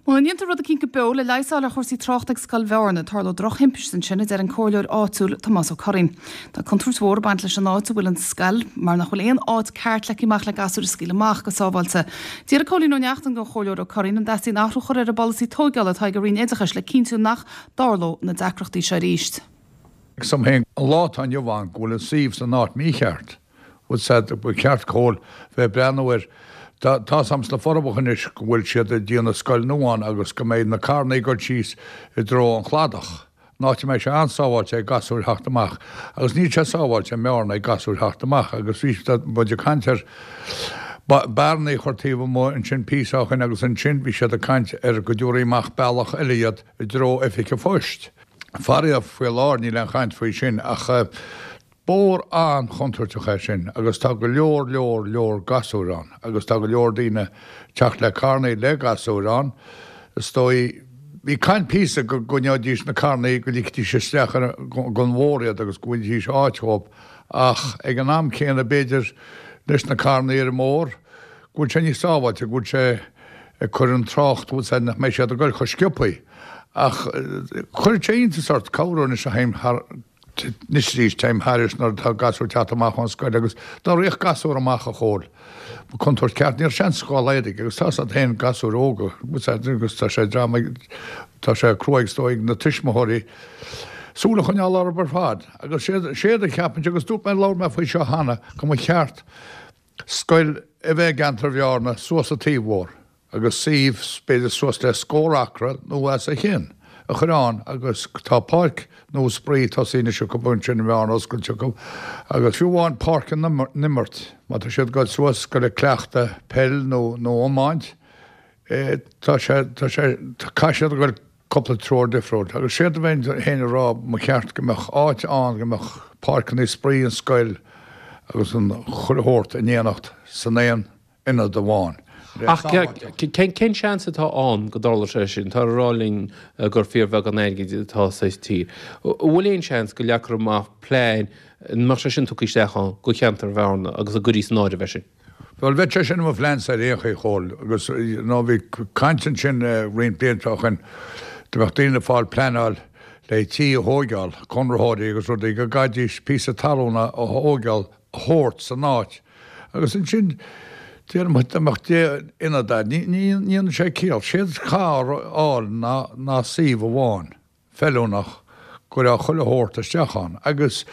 Muna ndéantar rud eicínt go beo le leigheas a fháil ar chúrsaí tráchta ag Scoil Bhearna, tarlóidh drochthimpist ansin, a deir an comhairleoir áitiúil Tomás Ó Curraoin. Tá contúirt mhór ag baint leis an áit a bhfuil an scoil mar nach bhfuil aon áit ceart leagtha amach le gasúir a scaoileadh amach go sábháilte. D'fhiafraigh Cóilín Ó Neachtain den Chomhairleoir Ó Curraoin an dteastaíonn athrú a chur ar an bpolasaí tóigeála atá ag an Roinn Oideachais le cinntiú nach dtarlódh na deacrachtaí seo arís. Measaim féin an lá atá inniu ann go bhfuil an suíomh san áit mícheart. Bhfuil said, ba cheart Cóil bheith ag breathnú air. Tá tá's a'm sna Forbacha anois go bhfuil siad ag déanamh scoil nua ann agus go mbeidh na carrannaí ag dul síos i dtreo an chladach, an áit a mbeidh sé an-sábháilte ag gasúir theacht amach agus níl sé sábháilte i mBearna ag gasúir theacht amach agus bhí muid ag caint ar bearnaí a chur taobh amuigh ansin píosa ó shin agus ansin bhí siad ag caint ar go dtabharfaí amach bealach eile iad i dtreo oifig an phoist. Faraor faoi láthair níl aon chaint faoi sin ach Bóthar an-chontúirteach é sin agus tá go leor leor leor gasúir ann agus tá go leor daoine teacht le carrannaí le gasúir ann. Is dóigh, bhí caint píosa go gcoinneoidís na carrannaí, go ligfidís isteach ar an bhóthar iad agus go bhfaighidís áit dhóibh ach ag an am céanna b'fhéidir leis na carrannaí ar an mbóthar go bhfuil sé níos sábháilte, go bhfuil sé ag cur an trácht, bhfuil sé, nach mbeidh siad ag goil chomh sciobthaí. Ach chuirfeadh sé iontas ort corruair anois a théim thar Anois arís, téim thairis nuair atá gasúir ag teacht amach ón scoil agus dá rithfeadh gasúr amach a Chóil, ba contúirt ceart, ní raibh seans dhá laghad aige agus tá's agat féin gasúir óga, agus tá sé dream ag, tá sé cruaidh is dóigh ag na tuismitheoirí súil a choinneáil orthu ar fad agus séard, séard a cheapaimse agus dúirt mé, labhair mé faoi seo cheana, go mba cheart scoil a bheith i gceantar Bhearna suas an taobh-bhóthar. agus suíomh b'fhéidir suas le scór acra nó os a chionn a chur ann agus tá páirc nua spraoi tosaithe anois acu ansin i mBearna oscailte acu agus fiú amháin páirc na n-imirt má tá siad ag dul suas go le cleachtadh peil nó nó iomáint tá sé tá sé caithfidh siad a dhul cúpla treoir difriúil agus séard a bheinn féin a rá mba cheart go mbeadh áit ann go mbeadh páirceanna spraoi an scoil agus an chuile shórt in éineacht san aon ionad amháin. Ach cén seans atá ann go dtarlódh sé sin? Táthar ag rá linn gur fíorbheagán airgid atá sa tír. An bhfuil aon seans go leagfar amach plean, an mbeadh sé sin tugtha isteach ann do cheantar Bhearna agus an gcuirfí san áireamh é sin? Bhuel, bheadh sé sin i mo phleansa ar aon chaoi, a Chóil, agus you know bhí caint ansin roinnt blianta ó shin, dá mbeadh daoine ag fáil pleanáil le tí a thóigeáil, conraitheoirí agus rudaí, go gcaithfidís píosa talún a thóigeáil, a thabhairt san áit agus ansin déarfaidh muid dá mbeadh deich n-ionad ann, ní dhéanann sé ciall. Séard a chaithfear a fháil ná ná suíomh amháin feiliúnach go raibh chuile shórt isteach ann agus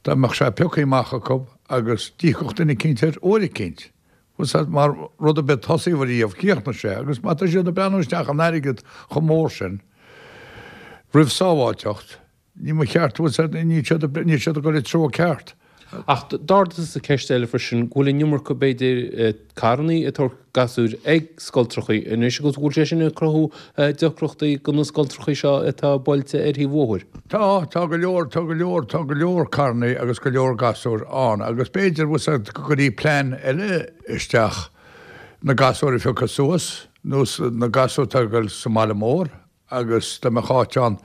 dá mbeadh sé pioctha amach acu agus d'íocfadh duine eicínt air uair eicínt. Bhfuil 's agat mar rud ar bith tosaíodh riamh chríochnaigh sé agus má tá siad ag breathnú isteach in airgead chomh mór sin roimh sábháilteacht, Ní mba cheart, bhfuil 's agat, níl siad, níl siad ag dul i treo ceart. Ach d'ardaigh tusa ceist eile freisin, go bhfuil an iomarca, b'fhéidir, carrannaí ag tabhairt gasúir ag scoltrachaí anois agus go bhfuil sé sin ag cruthú deacrachtaí do na scoltrachaí seo atá buailte ar thaobh bhóthair. Tá, tá go leor, tá go leor, tá go leor carrannaí agus go leor gasúir ann agus b'fhéidir, bhfuil 's agat, go gcuirfí plean eile isteach, na gasúir a phiocadh suas, nó na gasúir atá ag dul sa mbaile mór agus dá mbeadh áit ann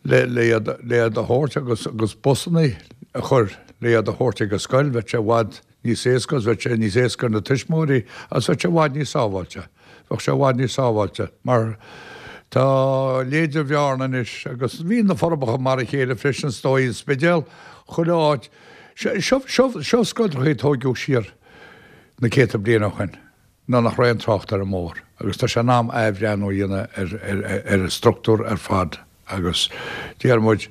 le iad le iad a thabhairt agus agus busannaí a chur le iad a thabhairt ag an scoil, bheadh sé i bhfad níos éasca agus bheadh sé níos éasca ar na tuismitheoirí agus bheadh sé i bhfad níos sábháilte. Bheadh sé i bhfad níos sábháilte mar tá leithéide Bhearna anois agus bhí na Forbacha mar a chéile freisin is dóigh, an Spidéal, chuile áit. Seo seo seo scoilteachaí a tóigeadh siar na céadta bliain ó shin. nuair nach raibh aon trácht ar an mbóthar agus tá sé in am athbhreathnú a dhéanamh ar an struchtúr ar fad agus déarfaidh muid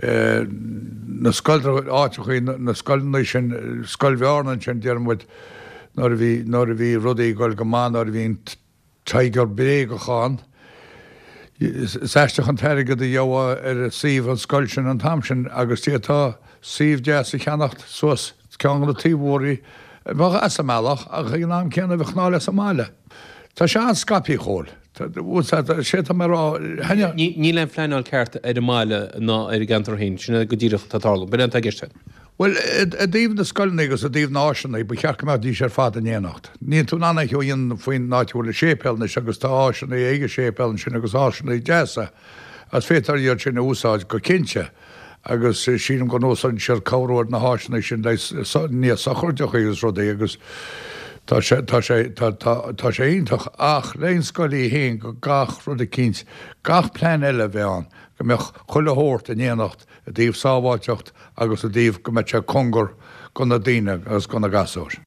na scoilteacha, áiteachaí, na scoileanna sin, Scoil Bhearna ansin déarfaidh muid nuair a bhí, nuair a bhí rudaí ag dul go maith, nuair a bhí an Tiger bréagach ann, is aisteach an t-airgead a gheofá ar suíomh an scoil sin an t-am sin agus d'fhéadfá suíomh deas a cheannacht suas ceann de na taobh-bhóithrí a bheadh as an mbealach ach ag an am céanna bheadh ná as an mbaile. Tá sé an-scaipthe, a Chóil. Sé atá mé a rá. Níl aon phleanáil ceart ar an mbaile ná ar an gceantar féin. Sin é go díreach atá ag tarlú. B'in é atá i gceist agat. Bhuel, i dtaobh na scoileanna agus i dtaobh na áiseanna, ba cheart go mbeidís ar fad in éineacht. Níl tú in ann é a dhéanamh faoin áit a bhfuil an séipéal anois agus tá áiseanna ag an séipéal ansin agus áiseanna deasa agus féadtar iad sin a úsáid go cinnte. agus sílim go n-úsáideann siad corruair na háiseanna sin le nithe sochraide agus rudaí agus. Tá sé, tá sé, tá, tá, tá sé iontach ach leis an scoil í fhéin go gach rud eicínt, gach plean eile a bheith ann, go mbeadh chuile shórt in éineacht i dtaobh sábháilteacht agus i dtaobh go mbeadh sé cóngar go na daoine agus go na gasúir.